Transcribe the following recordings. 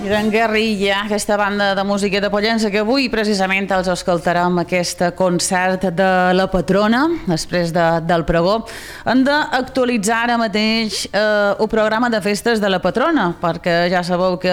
Gran Guerrilla, aquesta banda de música de Pollença que avui precisament els escoltarem aquest concert de la patrona després del pregó. Hem d'actualitzar ara mateix el programa de festes de la patrona, perquè ja sabeu que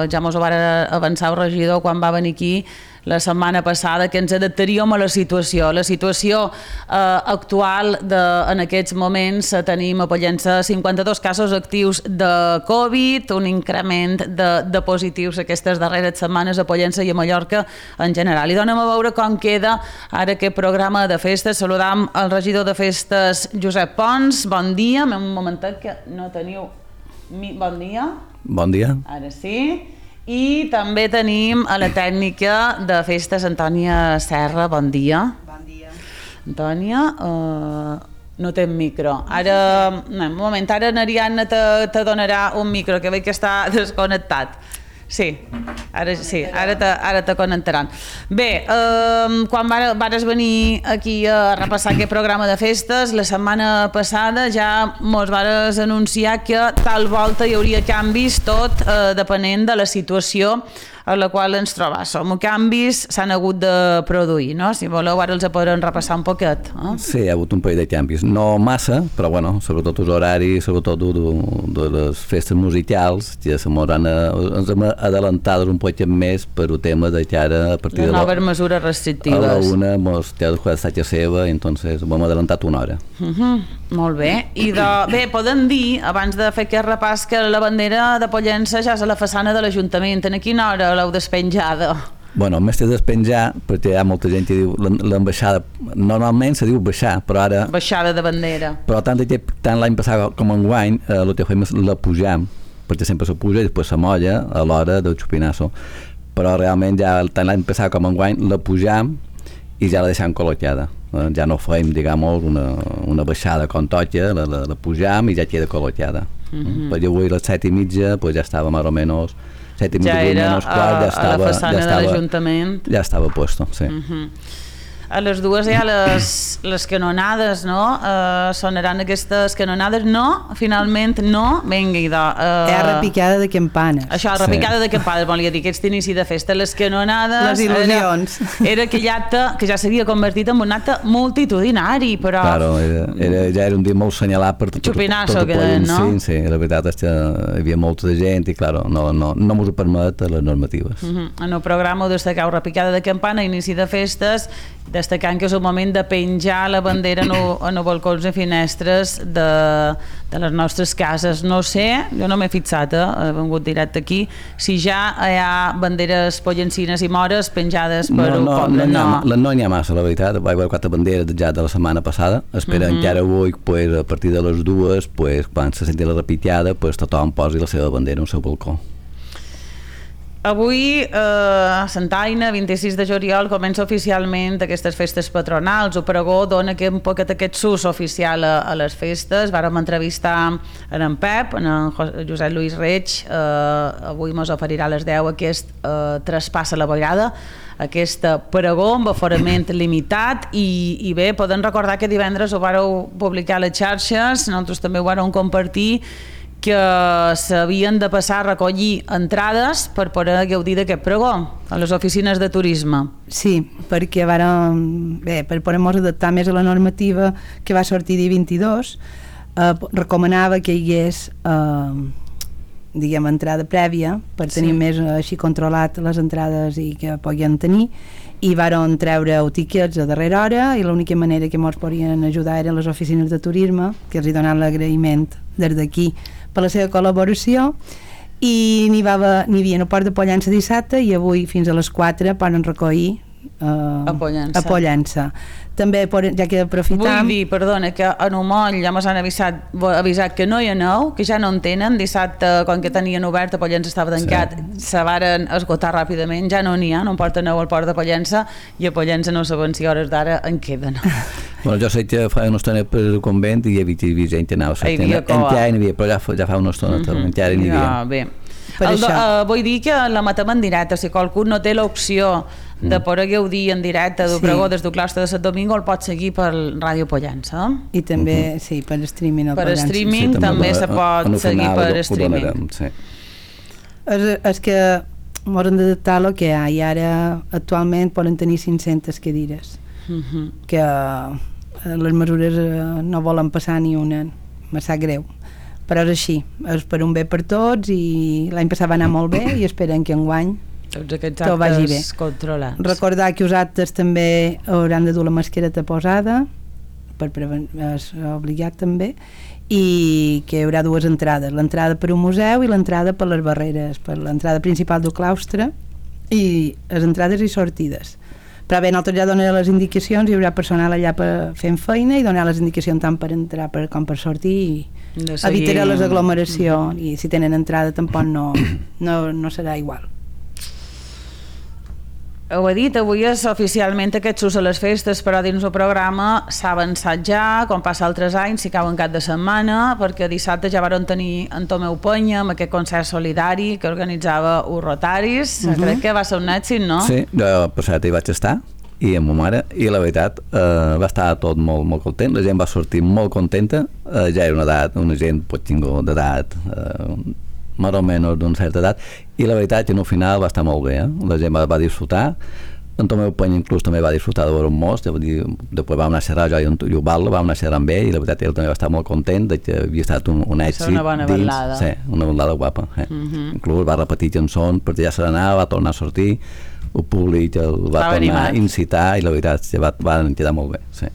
ja mos ho va avançar el regidor quan va venir aquí la setmana passada, que ens adaptaríem a la situació. La situació actual en aquests moments tenim a Pollença 52 casos actius de Covid, un increment de positius aquestes darreres setmanes a Pollença i a Mallorca en general. I donem a veure com queda ara aquest programa de festes. Saludam el regidor de festes, Josep Pons. Bon dia. Un momentet que no teniu... Bon dia. Bon dia. Ara sí. I també tenim a la tècnica de festes, Antònia Serra. Bon dia. Bon dia. Antònia, no té micro. Ara, un moment, ara n'Ariadna te donarà un micro, que veig que està desconnectat. Sí, ara te connectaran. Bé, quan vares venir aquí a repassar aquest programa de festes, la setmana passada ja mos vares anunciar que tal volta hi hauria canvis, tot depenent de la situació a la qual ens trobàssim. Canvis s'han hagut de produir, no? Si voleu, ara els podrem repassar un poquet. Sí, hi ha hagut un parell de canvis. No massa, però bueno, sobretot els horaris, sobretot de les festes musicals, ja ens hem adelantat un poc més per el tema de que ara a partir de les noves mesures restrictives. A la una mos té de jugar a seva, entonces ho hem adelantat una hora. Molt bé. I bé, podem dir, abans de fer aquest repàs, que la bandera de Pollença ja és a la façana de l'Ajuntament. En quina hora l'heu despenjada? Bueno, més de despenjar, perquè hi ha molta gent que diu l'ambaixada, normalment se diu baixar, però ara... Baixada de bandera. Però tant l'any passat com enguany, el que fem és la pujam, perquè sempre se puja i després se molla a l'hora del xupinasso. Però realment ja tant l'any passat com enguany la pujam i ja la deixem col·locada. Ja no fem, diguem, una baixada com toca, la pujam i ja queda col·locada. Perquè avui a les 7:30 pues ja estava més o menys 7:30, ja era a la façana de l'Ajuntament. Ja estava puesto, sí. A les dues hi ha les canonades, no? Sonaran aquestes canonades. No, finalment no. Vinga, idò. Hi ha repicada de campanes. Això, repicada de campanes, volia dir, aquest inici de festa. Les canonades... Les il·lusions. Era aquell acte que ja s'havia convertit en un acte multitudinari, però... Claro, ja era un dia molt senyalat per tot Xupinasso, el país. No? Sí, la veritat és que hi havia molta de gent i, claro, no mos ho permet les normatives. En el programa ho destacau repicada de campana, inici de festes, destacant que és el moment de penjar la bandera en els balcons i finestres de les nostres cases. No sé, jo no m'he fixat, he vengut directe aquí, si ja hi ha banderes pollencines i mores penjades per un poble. No n'hi ha massa, la veritat. Vaig veure 4 banderes ja de la setmana passada. Espera encara avui, a partir de les 2, quan se senti la repicada, tothom posi la seva bandera al seu balcó. Avui, Santaina, 26 de juliol, comença oficialment aquestes festes patronals. El pregó dona un poquet aquest sus oficial a les festes. Vàrem entrevistar en Pep, en Josep Lluís Reig. Avui mos oferirà a les 10 aquest traspassa la vegada, aquest pregó amb aforament limitat. I bé, podem recordar que divendres ho vàreu publicar a les xarxes, nosaltres també ho vàrem compartir, que s'havien de passar a recollir entrades per poder gaudir d'aquest pregó a les oficines de turisme. Sí, perquè per poder-nos adaptar més a la normativa que va sortir dia 22, recomanava que hi hagués entrada prèvia per tenir més així controlat les entrades i que podien tenir, i varen treure tiquets a darrera hora, i l'única manera que ens podien ajudar eren les oficines de turisme, que els hi donaven l'agraïment des d'aquí per la seva col·laboració. I n'hi havia el port de Pollença dissabte, i avui fins a les 4 poden recollir a Pollença. També, ja que aprofitam... Vull dir, perdona, que en Omoll ja mos han avisat que no hi aneu, que ja no en tenen. Dissabte, quan que tenien obert, a Pollença estava tancat, se varen esgotar ràpidament, ja no n'hi ha, no en porten al port de Pollença, i a Pollença no saben si hores d'ara en queden. Bueno, jo sé que fa una estona per el convent i hi havia gent que anava, però ja fa una estona encara n'hi havia. Vull dir que la matem en directe, si qualcú no té l'opció de poder gaudir en directe del pregó des del claustre de Sant Domingo, el pot seguir per Ràdio Pollença. I també, per streaming. Per streaming també se pot seguir per streaming. És que ens hem d'adaptar a lo que hi ha, i ara actualment poden tenir 500 cadires, que les mesures no volen passar ni una, me sap greu, però és així, és per un bé per tots, i l'any passat va anar molt bé i esperen que enguany tots aquests tot vagi bé. actes controlats. Recordar que els actes també hauran de dur la mascareta posada, és obligat també, i que hi haurà dues entrades, l'entrada per un museu i l'entrada per les barreres, per l'entrada principal del claustre, i les entrades i sortides. Però bé, nosaltres ja donarem les indicacions, hi haurà personal allà fent feina i donar les indicacions tant per entrar com per sortir, i evitarà les aglomeracions, i si tenen entrada tampoc no serà igual. Ho he dit, avui és oficialment aquest sus a les festes, però dins el programa s'ha avançat ja, com passa altres anys, si cau en cap de setmana, perquè dissabte ja varen tenir en Tomeu Penya amb aquest concert solidari que organitzava els Rotaris. Crec que va ser un èxit, no? Sí, jo passat hi vaig estar, i amb ma mare, i la veritat va estar tot molt, molt content, la gent va sortir molt contenta, ja era una gent pot tenir d'edat, més o menys d'una certa edat, i la veritat que al final va estar molt bé, la gent va disfrutar, en Tomeu Penya inclús també va disfrutar de veure un most, després vam anar a xerrar jo i en Ubaldo, vam anar a xerrar amb ell, i la veritat ell també va estar molt content de que havia estat un èxit una bona ballada. Sí, una ballada guapa, inclús va repetir cançons perquè ja se n'anava, va tornar a sortir, el públic el va tornar a incitar, i la veritat que va quedar molt bé, sí.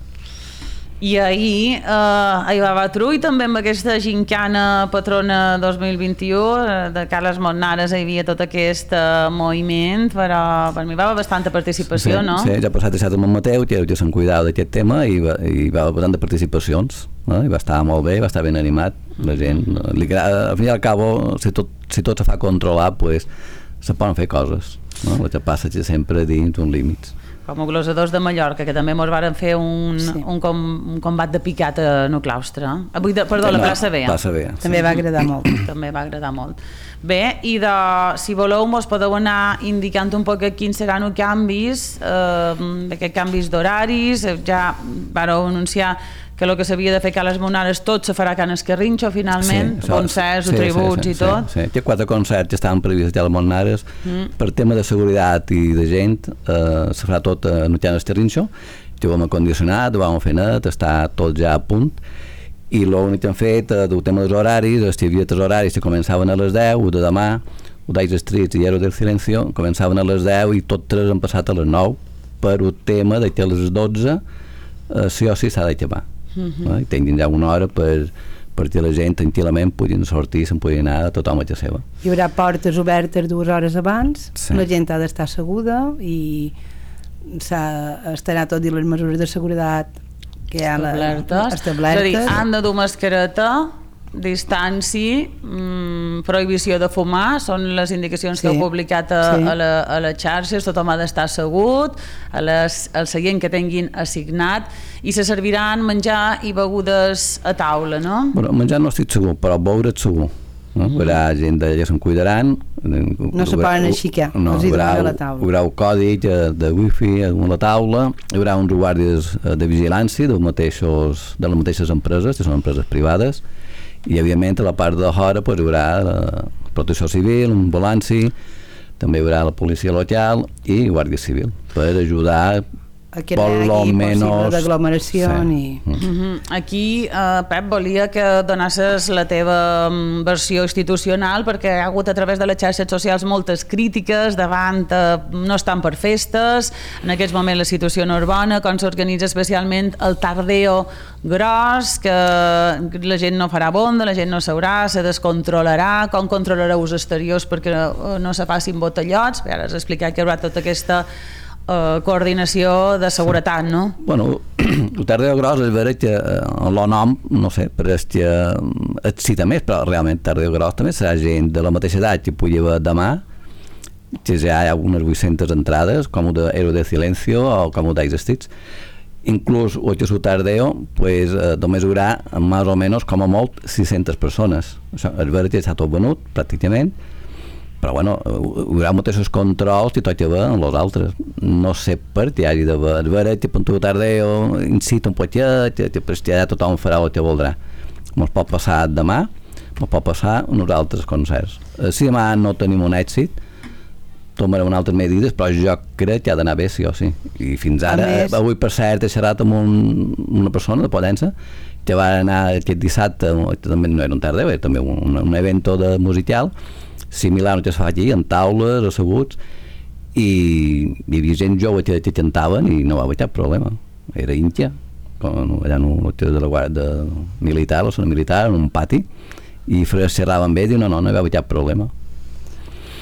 I ahir va Batrull també amb aquesta gincana patrona 2021 de Carles Montnares, hi havia tot aquest moviment, però per mi va haver bastanta participació, sí, no? Sí, ja ha passat a Sant Mateu, que se'n cuidava d'aquest tema, i va haver bastant de participacions, no? I va estar molt bé, va estar ben animat, la gent li agrada, al fin i al cabo, si tot se fa controlar, pues se poden fer coses, no? El que passa és sempre dins uns límits. Com a glosadors de Mallorca, que també ens varen fer un combat de picat en el claustre. Perdó, la plaça B. També va agradar molt. També va agradar molt. Bé, i si voleu mos podeu anar indicant un poc quins seran els canvis, aquests canvis d'horaris, ja vareu anunciar que el que s'havia de fer a les Montnares tot se farà a Can Escarrinxo finalment, concerts, tributs i tot. Sí, hi ha 4 concerts que estaven previstos a les Montnares, per tema de seguretat i de gent se farà tot a Can Escarrinxo, que ho hem acondicionat, ho vam fer net, està tot ja a punt, i l'únic que hem fet del tema dels horaris és que hi havia 3 horaris que començaven a les 10, de demà, Udais Streets i Héroes del Silencio, començaven a les 10 i tots 3 han passat a les 9 per el tema que a les 12 sí o sí s'ha d'acabar. I tinguin ja una hora perquè la gent tranquil·lament puguin sortir, se'n puguin anar a tothom a casa seva. Hi haurà portes obertes 2 hores abans, la gent ha d'estar asseguda i estarà tot i les mesures de seguretat que hi ha establertes. És a dir, han de dur mascareta, distància, prohibició de fumar, són les indicacions que heu publicat a les xarxes, tothom ha d'estar assegut, al seient que tinguin assignat, i se serviran menjar i begudes a taula, no? Bueno, menjar no estic segur, però beure segur. Hi haurà gent d'allà se'n cuidaran, no se poden aixecar, els hi donen a la taula. Hi haurà un codi de wifi a la taula, hi haurà uns guàrdies de vigilància de les mateixes empreses, que són empreses privades, i evidentment a la part de fora hi haurà la protecció civil, un ambulanci, també hi haurà la policia local i guàrdia civil per ajudar a que no hi hagi possible d'aglomeració. Aquí, Pep, volia que donasses la teva versió institucional, perquè hi ha hagut a través de les xarxes socials moltes crítiques davant no estan per festes, en aquests moments la situació no és bona, com s'organitza especialment el tardeo gros, que la gent no farà bonda, la gent no seurà, se descontrolarà, com controlareu els exteriors perquè no se facin botellots. Ara has explicat que hi haurà tota aquesta coordinació de seguretat, no? Bueno, el tardeo gros és vera que el nom, no sé, però és que excita més, però realment tardeo gros també serà gent de la mateixa edat que pugui haver demà, que ja hi ha unes 800 entrades, com el de Héroes del Silencio o com el d'Ice Streets. Inclús el que és el tardeo, pues, només hi haurà més o menys, com a molt, 600 persones. Això és vera que està tot venut, pràcticament, però bueno, hi haurà molts controls i tot que ve amb els altres. No sé per què hi hagi d'haver. És vera que per tu tardeo incita un poquet, que després ja tothom farà el que voldrà. Ens pot passar demà, me pot passar en uns altres concerts. Si demà no tenim un èxit, tomarem unes altres medides, però jo crec que ha d'anar bé, sí o sí. I fins ara, avui per cert, he xerrat amb una persona de Pollença que va anar aquest dissabte, també no era un tardeu, era també un evento de musical, similar al que es fa aquí, en taules, asseguts, i hi havia gent jove que cantaven i no va haver cap problema. Era íntia, allà en un hotel de la guàrdia militar, la zona militar, en un pati, i xerraven bé i no hi va haver cap problema.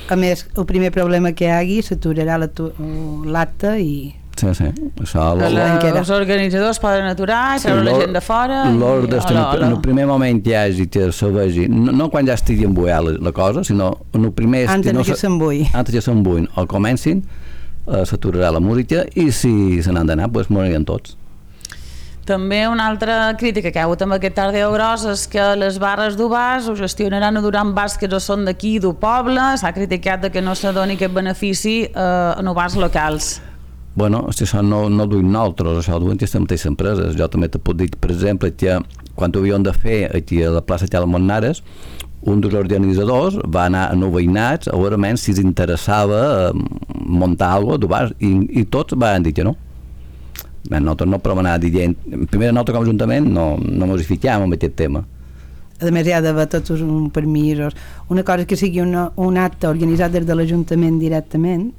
A més, el primer problema que hi hagi s'aturarà l'acte i... Sí. Això, els organitzadors poden aturar i treure la gent de fora. En el primer moment que hi hagi, que se vegi, no quan ja estigui embullada la cosa, sinó en el primer... Antes que s'embulli. Antes que s'embullin o comencin, s'aturarà la música i si se n'han d'anar, doncs moririen tots. També una altra crítica que hi ha hagut amb aquest Tardeu Gros és que les barres d'Ubàs ho gestionaran durant bars que no són d'aquí, del poble. S'ha criticat que no se doni aquest benefici en bars locals. Bueno, això no ho duim nosaltres, això ho duim aquestes mateixes empreses. Jo també te puc dir, per exemple, que quan ho havíem de fer aquí a la plaça Xala Montnares, un dels organitzadors va anar a nou veïnats a veure menys si els interessava muntar alguna cosa d'Ubàs i tots van dir que no. Nosaltres no podem anar dient, primer nosaltres com a Ajuntament no ens fiquem en aquest tema. A més hi ha d'haver tots uns permisos. Una cosa és que sigui un acte organitzat des de l'Ajuntament directament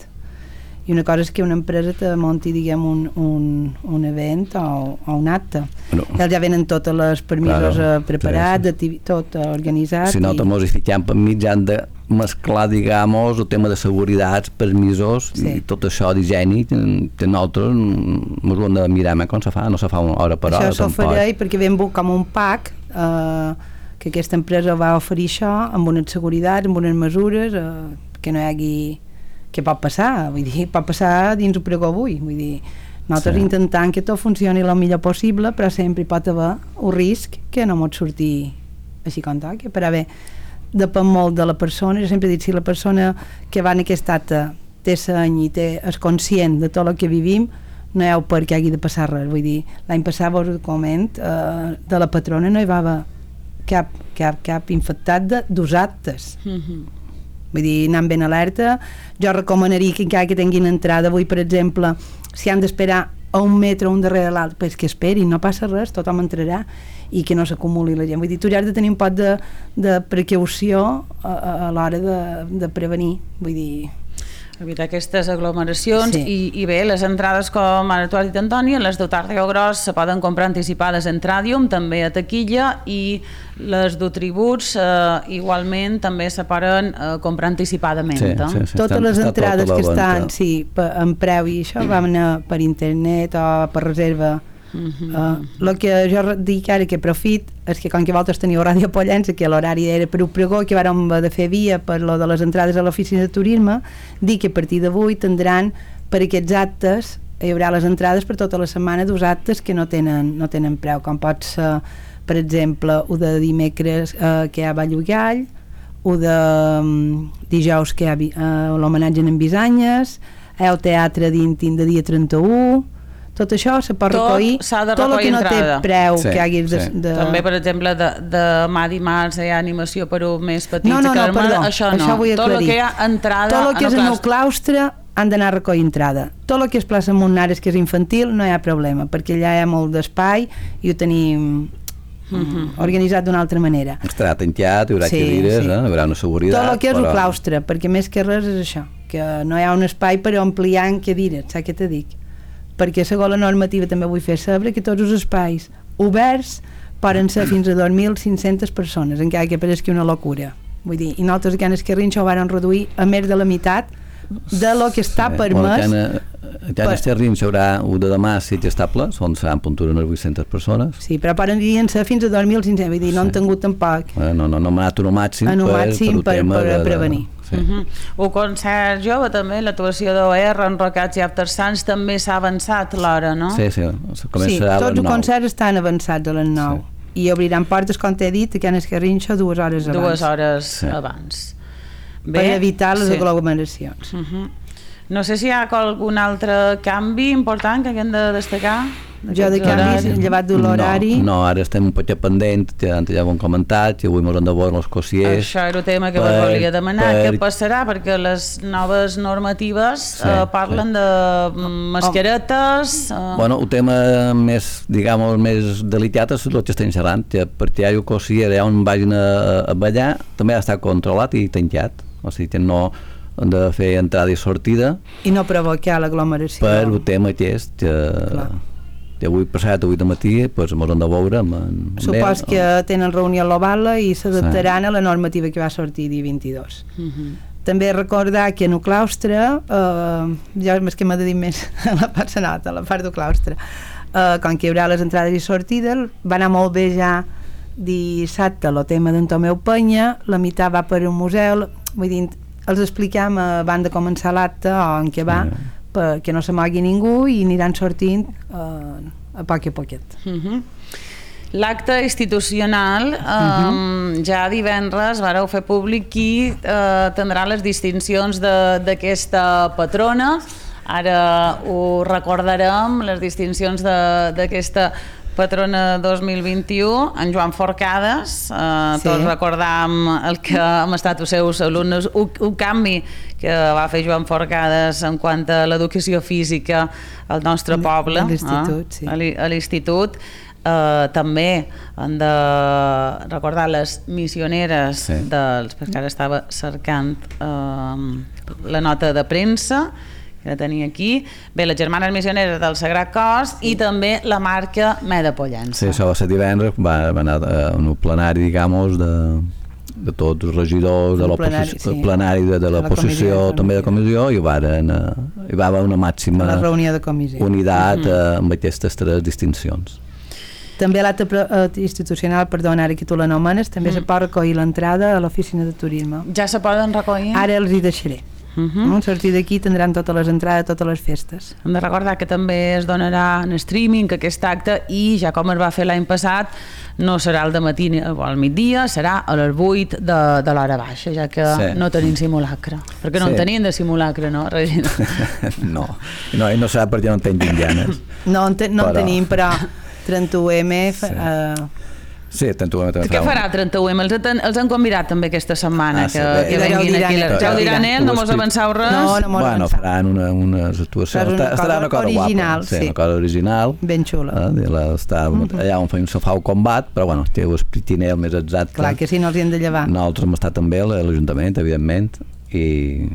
i una cosa és que una empresa te munti, diguem, un event o un acte. No. Ells ja venen tots els permisos preparats, sí. Tot organitzat. Si nosaltres ens fiquem per mig han de mesclar, digamos, el tema de seguretat, permisos i tot això d'higiene que nosaltres ens ho hem de mirar com se fa, no se fa una hora per hora. Això s'ofereix perquè vam com un pack que aquesta empresa va oferir això amb unes seguretats, amb unes mesures que no hi hagi... Què pot passar? Vull dir, pot passar dins el pregó avui. Vull dir, nosaltres intentant que tot funcioni el millor possible, però sempre hi pot haver un risc que no pot sortir així com toca. Però bé, depèn molt de la persona. Jo sempre he dit, si la persona que va en aquest acte té seny i és conscient de tot el que vivim, no hi ha per què hagi de passar res. Vull dir, l'any passat, vos ho coment, de la patrona no hi va haver cap infectat dos actes. Vull dir, anant ben alerta. Jo recomanaria que encara que tinguin entrada avui, per exemple, si han d'esperar a un metre un darrere l'altre, pues que esperin, no passa res, tothom entrarà i que no s'acumuli la gent. Vull dir, tu ja has de tenir un poc de precaució a l'hora de prevenir. Vull dir... evitar aquestes aglomeracions i bé, les entrades, com ara tu has dit, Antònia, les de Tardeu Gros se poden comprar anticipades en Tràdium, també a taquilla, i les tributs igualment també se poden comprar anticipadament. Totes les entrades que estan en preu i això van anar per internet o per reserva. El que jo dic ara que profit és que com que vosaltres teniu Ràdio Pollença, que l'horari era per un pregó, que vàrem de fer via per lo de les entrades a l'oficina de turisme, dic que a partir d'avui tindran per aquests actes, hi haurà les entrades per tota la setmana dos actes que no tenen preu, com pot ser, per exemple, un de dimecres que hi ha Ball Gall, un de dijous que hi ha l'homenatge en Bisanyes, el teatre d'Intin de dia 31. Tot això se pot recollir, tot el que no té preu que haguis de... També, per exemple, demà dimarts hi ha animació per un més petit. No, perdó, això vull aclarir. Tot el que hi ha entrada... Tot el que és en el claustre han d'anar a recollir entrada. Tot el que és plaça Montnares, que és infantil, no hi ha problema, perquè allà hi ha molt d'espai i ho tenim organitzat d'una altra manera. Estarà tancat, hi haurà cadires, hi haurà una seguretat... Tot el que és el claustre, perquè més que res és això, que no hi ha un espai per ampliar en cadires, saps què te dic? Perquè segons la normativa també vull fer saber que tots els espais oberts poden ser fins a 2.500 persones, encara que pareixi una locura. Vull dir, i nosaltres aquí en Esquerrinxa ho varen reduir a més de la meitat de lo que està permès. Ja en Esquerrinxa haurà un de demà sitge estable, on seran puntura unes 800 persones. Sí, però poden ser fins a 2.500, vull dir, no han tingut tampoc. No m'ha anat un màxim per prevenir. Un concert jove també, l'actuació d'OR, Enrocats i After Sants també s'ha avançat l'hora, no? Sí, tots els concerts estan avançats a les 9 i obriran portes, com t'he dit, aquí en Esquerrinxa 2 hores abans. 2 hores abans. Per evitar les aglomeracions. No sé si hi ha algun altre canvi important que haguem de destacar. Jo de canvis, llevat de l'horari... No, ara estem un poquet pendents, ja ho hem comentat, i avui m'hauran de veure els cossiers. Això era el tema que vos volia demanar. Què passarà? Perquè les noves normatives parlen de mascaretes... Bueno, el tema més, diguem, més delicat és el que estem xerrant, perquè hi ha un cossier on vagin a ballar, també ha estat controlat i tancat, o sigui que no han de fer entrada i sortida. I no provocar l'aglomeració. Per el tema aquest, que avui passat, avui de matí, doncs m'ho han de veure. Supos que tenen reunió a l'Ovala i s'adaptaran a la normativa que va sortir dia 22. També recordar que en el claustre, jo és que m'ha de dir més a la part senata, a la part del claustre, com que hi haurà les entrades i sortides, va anar molt bé ja dissabte el tema d'en Tomeu Penya, la meitat va per un museu, vull dir, els expliquem abans de començar l'acte on què va, perquè no s'amagui ningú i aniran sortint a poc a poquet. L'acte institucional, ja divendres vareu fer públic qui tindrà les distincions d'aquesta patrona. Ara ho recordarem, les distincions d'aquesta patrona 2021, en Joan Forcades, tots recordam el que hem estat els seus alumnes, un canvi que va fer Joan Forcades en quant a l'educació física al nostre poble, a l'institut. També han de recordar les missioneres perquè ara estava cercant la nota de premsa que la tenia aquí. Bé, les germanes missioneres del Sagrat Cos i també la marca Meda Pollença. Sí, això va ser divendres, va anar en un plenari, diguem, de tots els regidors, de l'oposició, plenari de l'oposició, també de comissió, i hi va haver una màxima unitat amb aquestes tres distincions. També l'acte institucional, perdona, ara que tu l'anomenes, també se pot recollir l'entrada a l'oficina de turisme. Ja se poden recollir? Ara els hi deixaré. A sortir d'aquí tindran totes les entrades, totes les festes. Hem de recordar que també es donarà en streaming aquest acte i, ja com es va fer l'any passat, no serà al matí o al migdia, serà a les 8 de l'hora baixa, ja que no tenim simulacre. Perquè no en tenim de simulacre, no, Regina? No, i no serà perquè no en tenim ganes. No en tenim, però 31M... Sí, 31M també. Què farà 31M? Els han convidat també aquesta setmana que venguin aquí. Ja ho diran ells, no mos avanceu res? Bueno, faran unes actuacions. Estarà una cosa guapa. Sí, una cosa original. Ben xula. Allà on fa un sofà o combat, però bueno, ho expliquin el més exacte. Clar, que si no els hi hem de llevar. Nosaltres hem estat també a l'Ajuntament, evidentment, i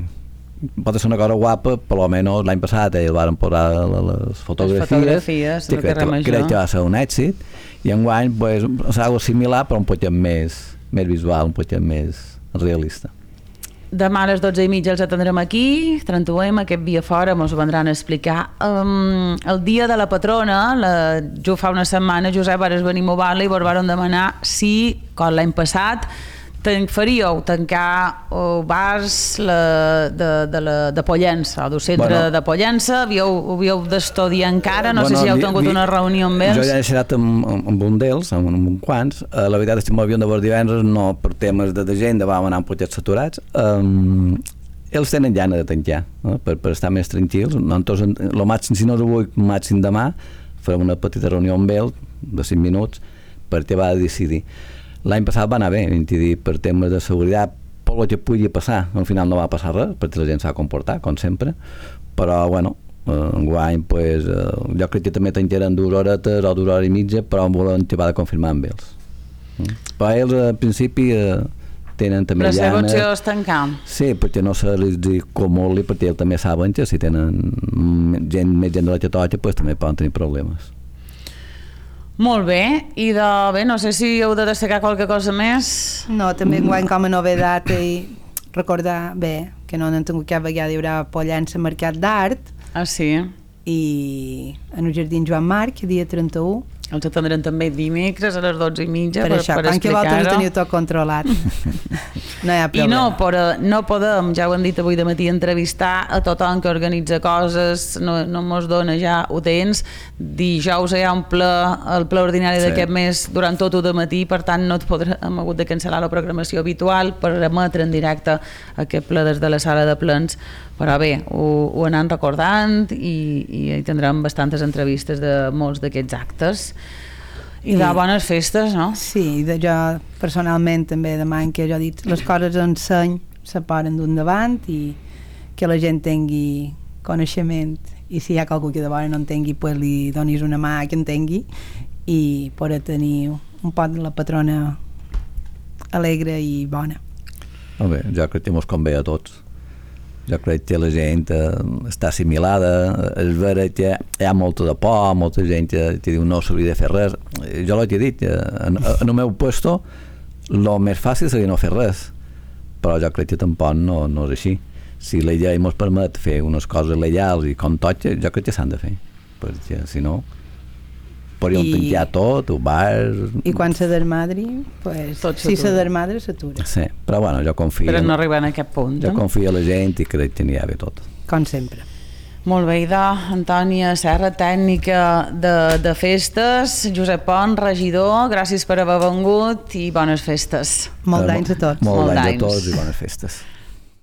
pot ser una cosa guapa, per almenys l'any passat ells van posar les fotografies, crec que va ser un èxit, i enguany és algo similar però un poquet més visual, un poquet més realista. Demà a les 12:30 els atendrem aquí, 31M, aquest via fora, ens ho vendran a explicar. El dia de la patrona, jo fa una setmana, Josep, vares venir a Ovala i vos varen demanar si, com l'any passat, faríeu tancar bars de Pollença, o del centre de Pollença, havíeu d'estudiar encara, no sé si heu tingut una reunió amb ells. Jo ja he xerat amb un d'ells, amb un quants, la veritat és que m'havíem de veure divendres, no per temes d'agenda, vam anar un poquet saturats, ells tenen gana de tancar, per estar més tranquils, el màxim, si no és avui, màxim demà, farem una petita reunió amb ells, de 5 minuts, perquè va decidir. L'any passat va anar bé, per temes de seguretat, per el que pugui passar, al final no va passar res, perquè la gent s'ha comportat, com sempre, però, bueno, enguany, jo crec que també tancaran 2 horetes o 2 hores i mitja, però volen acabar de confirmar amb ells. Però ells, al principi, tenen també la seva opció és tancar. Sí, perquè no se li comoli, perquè ells també saben que si tenen més gent de la que toca, també poden tenir problemes. Molt bé, i no sé si heu de destacar qualque cosa més. No, també enguany com a novedat i recordar bé que no n'han tingut cap vegada, hi haurà Pollença Mercat d'Art. Ah, sí? I en el Jardí Joan Marc, dia 31. Els atendrem també dimecres a les 12:30 Per això, quan que vosaltres ho teniu tot controlat. No hi ha problema. I no podem, ja ho hem dit avui de matí, entrevistar a tothom que organitza coses, no mos dona ja ho temps. Dijous hi ha el ple ordinari d'aquest mes durant tot el matí, per tant hem hagut de cancel·lar la programació habitual per emetre en directe aquest ple des de la sala de plens, però bé, ho anem recordant i hi tindrem bastantes entrevistes de molts d'aquests actes. I de bones festes, no? Sí, jo personalment també demano que jo he dit les coses en seny se poden d'un davant i que la gent tingui coneixement i si hi ha qualcú que de vora no entengui pues li donis una mà que entengui i poder tenir un pot de la patrona alegre i bona. Bé, jo crec que mos convé a tots. Jo crec que la gent està assimilada, és vera que hi ha molta de por, molta gent que diu no s'hauria de fer res. Jo l'he dit, en el meu puesto el més fàcil seria no fer res, però jo crec que tampoc no és així. Si la llei ens permet fer unes coses legals i com toca, jo crec que s'han de fer, perquè si no podríem tancar tot, o bars... I quan se desmadri, pues, si se desmadre s'atura. Sí, però bueno, jo confio... Però no arribem a aquest punt. Jo confio en la gent i crec que n'hi ha bé tot. Com sempre. Molt bé, Antònia Serra, tècnica de festes, Josep Pont, regidor, gràcies per haver vengut i bones festes. Molts d'anys a tots. Molts d'anys a tots i bones festes.